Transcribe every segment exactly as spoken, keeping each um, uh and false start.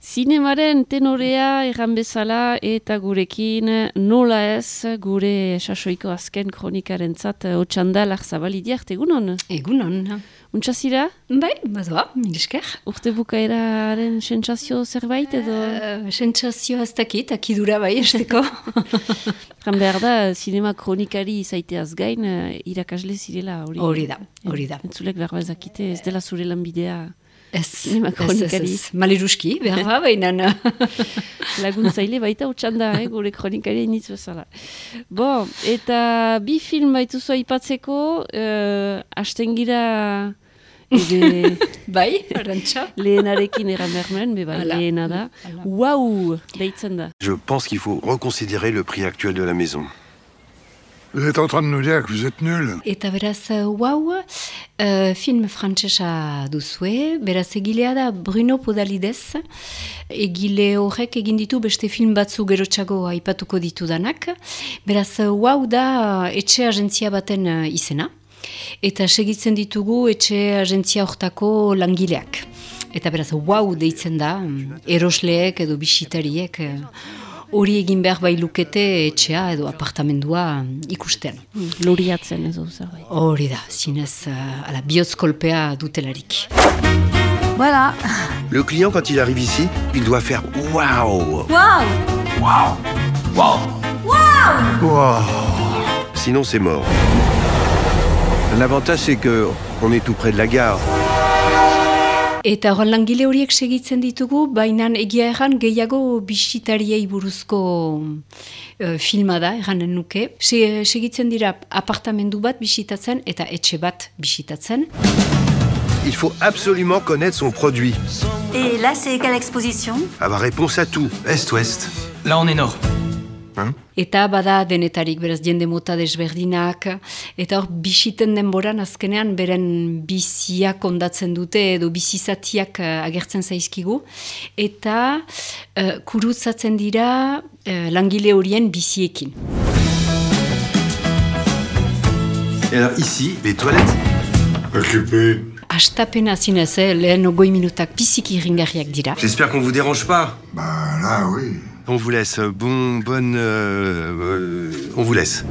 Zinemaren tenorea erran bezala eta gurekin nola ez gure sasoiko azken kronikaren zat otxanda Larzabalidiart, egunon? Egunon. Untxazira? Bai, badoa, milisker. Urte bukaeraren sentsazio zerbait edo? Uh, sentsazio ez dakit, akidura bai esteko. Jan behar da, zinema kronikari zaiteaz gain, irakasle zirela hori. Hori da, hori da. Entzulek behar bazakite, ez dela zure lanbidea. Ez, ez, ez, ez. Maliruski, behar ba, baina. Laguntzaile baita utxanda, eh, gure kronikari initz bezala. Bo, eta bi film baituzu aipatzeko, uh, astengira ebe... bai, arantxa. Lehenarekin eran behar nuen, be bai, lehena da. Wow, deitzen da. Je pense qu'il faut reconsidérer le prix actuel de la maison. Vous êtes en train de nous dire que vous êtes nuls. Eta beraz, wow, uh, film frantsesa duzue, beraz egilea da Bruno Podalides, egile horrek egin ditu beste film batzu gerotxago aipatuko ditudanak, beraz, wow da etxe agentzia baten uh, izena, eta segitzen ditugu etxe agentzia hortako langileak. Eta beraz, wow deitzen da, erosleek edo bisitariek, uh, hori egin behar bai lukete etxea edo apartamendua ikusten. Mm, luriatzen edo zerbait. Hori da, zinez, uh, ala, bihotzkolpea dutelarik. Voilà. Le client, quand il arrive ici, il doit faire waouh. Waouh. Waouh. Waouh. Waouh. Wow. Sinon, c'est mort. L'avantage, c'est que on est tout près de la gare. Eta horren langile horiek segitzen ditugu, baina egia erran gehiago bisitariei buruzko uh, filma da, erranen nuke. Se, segitzen dira apartamendu bat bisitatzen eta etxe bat bisitatzen. Il faut absolument connaître son produit. Et là, c'est quelle exposition? Avoir réponse à tout, est-ouest. Là, on est nord. Hein? Eta bada denetarik, beraz, jende mota desberdinak, eta hor bisiten denboran azkenean beren biziak ondatzen dute edo bizizatiak uh, agertzen zaizkigu, eta uh, kurutzatzen dira uh, langile horien biziekin. Et alors ici, les toilettes. Occupé. Astapena zinez, eh, lehen ogoi minutak biziki irringarriak dira. J'espère qu'on vous dérange pas. Bah là, oui. On vous laisse. Bon, bonne... Euh, euh, on vous laisse.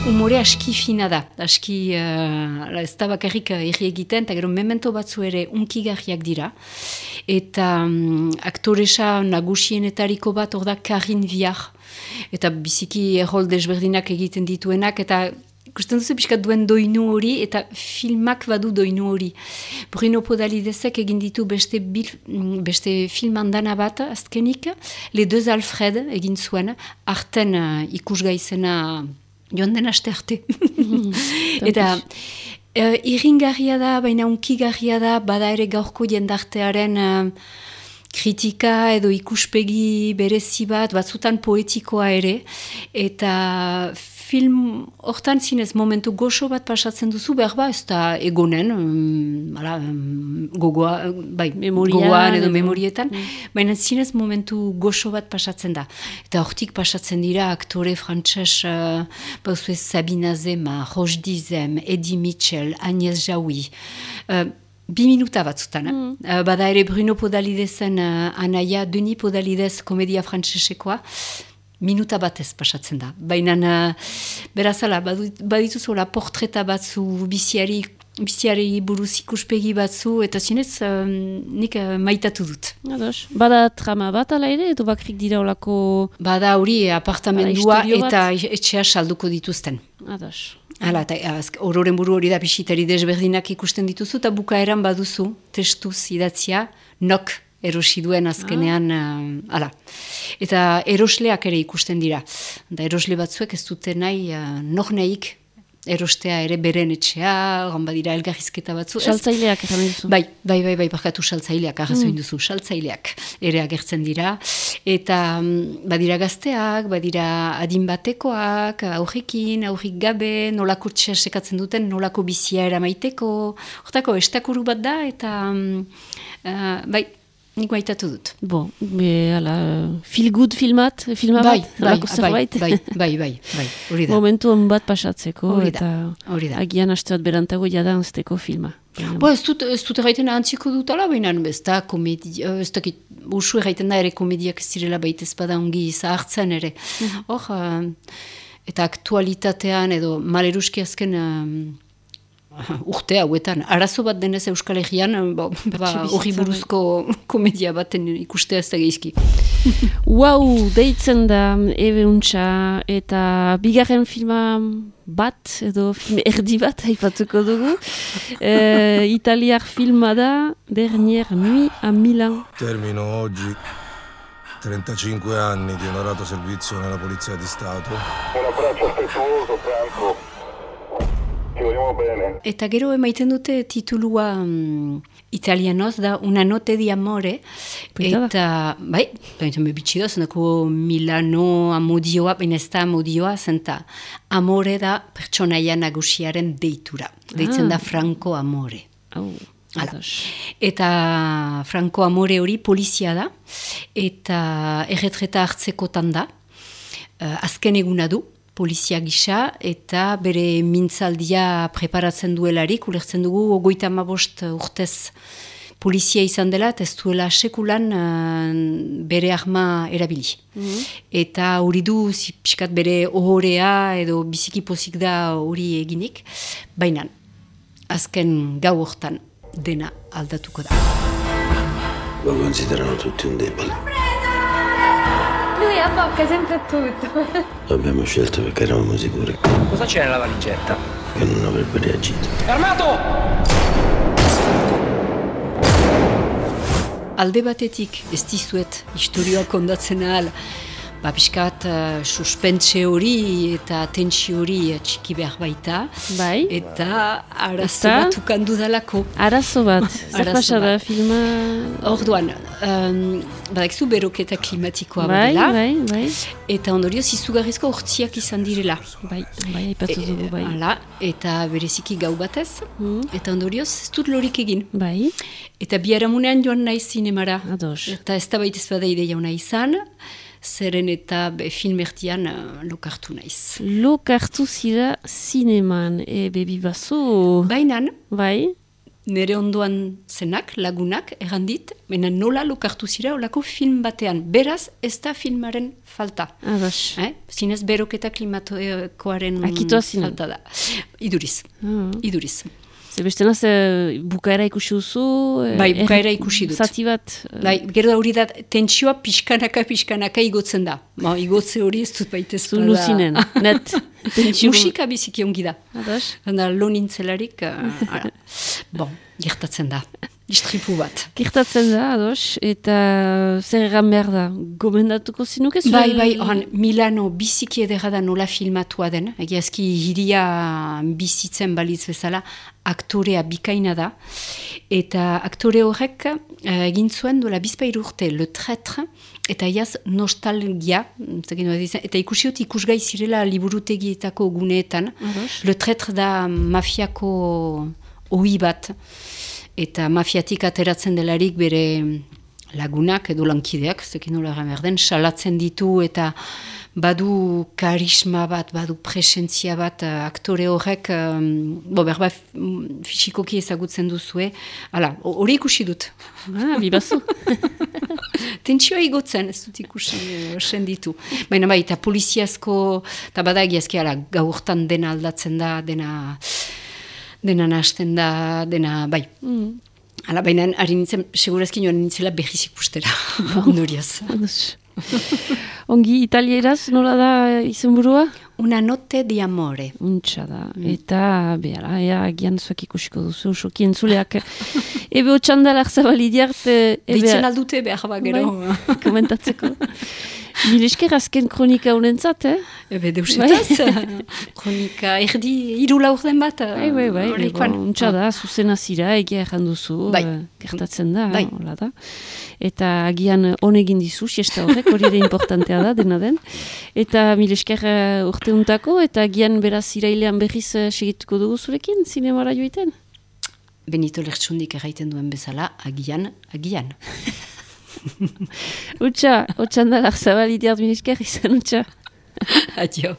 Umore aski fina da, aski uh, ez da bakarrik irri egiten, eta gero memento batzu ere unkigarriak dira. Eta um, aktoresa nagusienetariko bat hor da Karin Viar. Eta biziki errol desberdinak egiten dituenak, eta ikusten duzu pixkat duen doinu hori, eta filmak badu doinu hori. Bruno Podalidesek egin ditu beste, bil, beste film andana bat, azkenik, Les Deux Alfred egin zuen, arten uh, ikusgai zena joan den aste arte. Mm, eta uh, irringarria da, baina unkigarria da, bada ere gaurko jendartearen uh, kritika edo ikuspegi berezi bat, batzutan poetikoa ere, eta film hortan zinez momentu goxo bat pasatzen duzu, behar ba, ez da egonen, um, ala, um, gogoa, bai, Memoria, gogoan edo edo memorietan, mm. baina zinez momentu goxo bat pasatzen da. Eta hortik pasatzen dira aktore frantses, uh, bauzue Sabina Zema, Roche Dizem, Eddie Mitchell, Agnès Jaoui, uh, bi minuta batzutan. Mm. Uh, bada ere Bruno Podalidesen uh, anaia, Denis Podalides komedia frantsesekoa, minuta batez pasatzen da. Baina, uh, berazala, badituzola portreta batzu, biziari, biziari buruz ikuspegi batzu, eta zinez, um, nik uh, maitatu dut. Ados. Bada trama bat ala ere, edo bakrik dira olako... Bada hori apartamendua Bada, eta etxea salduko dituzten. Ados. Hala, eta ororen buru hori da bisitari desberdinak ikusten dituzu, eta bukaeran baduzu, testuz idatzia, nok erosi duen azkenean, ah. Hala. Eta erosleak ere ikusten dira. Da erosle batzuek ez dute nahi, uh, nor nahik erostea ere beren etxea, oran badira elgarrizketa batzu. Saltzaileak eran duzu. Bai, bai, bai, bai, barkatu saltzaileak, arrazoin mm. duzu, saltzaileak ere agertzen dira. Eta badira gazteak, badira adin batekoak, aurrekin, aurrik gabe, nolako txea sekatzen duten, nolako bizia eramaiteko. Hortako, estakuru bat da, eta uh, bai, nik maitatu dut. Bo, be, ala, feel good filmat, filma Bai, bat, bai, halako bai, zerbait. bai, bai, bai, bai, hori da. Momentu on bat pasatzeko, Hori da, eta hori da. agian aste bat berantago jada anzteko filma. Bo, ez dut, ez dut erraiten antziko dutala, baina ez da komedia, ez dakit, usu erraiten da ere komediak ez direla baita ezpada ongi zahartzen ere. Hor, uh, eta aktualitatean edo maleruski azken uh, urte hauetan, arazo bat denez Euskal Herrian, ba, ba, hori buruzko komedia baten ikustea ez da geizki. Wow, deitzen da ebe untxa, eta bigarren filma bat, edo film erdi bat haipatuko dugu. E, italiar filma da, Dernière nuit a Milan. Termino oggi trentacinque anni di onorato servizio nella Polizia di Stato. Un abbraccio affettuoso, Franco. Ci vogliamo bene. Eta gero emaiten dute titulua um, italianoz da Una notte di amore. Polita da. Eta, bai, baina me bitxi da, zenako Milano amodioa, baina ez da amodioa, zenta amore da pertsonaia nagusiaren deitura. Deitzen Ah. da Franco Amore. Au, Hala. ados. Eta Franco Amore hori polizia da, eta erretreta hartzekotan da, uh, azken eguna du, polizia gisa, eta bere mintzaldia preparatzen duelarik, ulertzen dugu, ogoita amabost urtez polizia izan dela, eta ez duela sekulan uh, bere arma erabili. Mhm. Eta hori du, zi- pixkat bere ohorea, edo biziki pozik da hori eginik, baina azken gau hortan dena aldatuko da. Lo considerano tutti un debole. Lui abbocca sempre tutto. Lo abbiamo scelto perché eravamo sicuri Cosa c'è nella valigetta? che non avrebbe reagito. Armato! Alde batetik ez dizuet historioa kondatzen ahal, ba, pixkat uh, suspentse hori eta tentsio hori uh, txiki behar baita, Bai, eta arazo Eta? bat ukandu dalako. arazo bat, zer Arazo pasa da bat. filma... Orduan, um, badakizu beroketa klimatikoa Bai, badela, bai, bai, eta ondorioz izugarrizko hortziak izan direla. bai, bai, aipatu dugu, bai. Hala, eta bereziki gau batez, Mm. eta ondorioz ez dut lorik egin. Bai, Eta biharamunean joan naiz zinemara. ados. Eta ez da baita ez bada ideia ona izan, zeren eta be, filmertian uh, lokartu naiz. Lokartu zira zineman, e, bebi bazo, Bainan, bai, nire ondoan zenak, lagunak, errandit, baina nola lokartu zira olako film batean. Beraz, ez da filmaren falta. ados. Eh? Zinez beroketa klimatokoaren Akitoa zinen. falta da. Iduriz, Ah. iduriz. Zebestena ze bukaera ikusi duzu... e, Bai, er- bukaera ikusi dut. Zati bat... e, Bai, gero da hori da, tentsioa pixkanaka, pixkanaka igotzen da. Ma, igotze hori ez dut baita ez Zu luzinen, net. Tentsio- Musika biziki ongi da. Ados. Handa, lo nintzelarik, uh, ara. Bon, gertatzen da. Istripu bat. Gertatzen da, ados, eta zer egan behar da, gomendatuko zinuke? zure- Bai, bai, oran, Milano biziki edera da nola filmatua den. Egiazki hiria bizitzen balitz bezala, aktorea bikaina da. Eta aktore horrek uh, egin zuen dola bizpairu urte, Le Traître, eta iaz nostalgia, zekin nola dizien, eta ikusiot ikusgai zirela liburutegietako guneetan. Ados. Le Traître da mafiako ohi bat, eta mafiatik ateratzen delarik bere lagunak edo lankideak, zekin nola egan behar den, salatzen ditu eta badu karisma bat, badu presentzia bat, uh, aktore horrek, um, bo, berba mm, fisikoki ezagutzen duzue, hala, ho- hori ikusi dut. Ah, bibazu. Tentsioa igotzen, ez dut ikusi uh, senditu. Baina bai, eta poliziazko, eta badagiazki, hala, gaurtan dena aldatzen da, dena, dena nahasten da, dena, bai. Mm. Hala, baina ari nintzen, segurazki joan nintzela behiz ikustera, ondorioz. Ados. Ongi, italieraz nola da izenburua? Una notte di amore. Untxa da, eta behar, ea, agian zuak ikusiko duzu, soki entzuleak. Ebe otxandalak zabalidiart, Deitzen aldute behar ba gero. bai, komentatzeko. Mil esker azken kronika honentzat, eh? Ebe deusetaz, kronika erdi, hiru laur den bat. Bai, bai, bai, horrekoan. bon, untxa da, zuzena zira, egia erran duzu, Bai. eh, gertatzen da, Bai. hola da. Eta agian honegin dizu, siesta horrek, hori ere importantea da, dena den. Eta mil esker uh, urte untako, eta agian beraz irailean berriz uh, segituko dugu zurekin, zinemara joiten? Benito Lertxundik erraiten duen bezala, agian, agian. Utsa, utsan da, Larzabal idiart minesker izan utsa. Adio.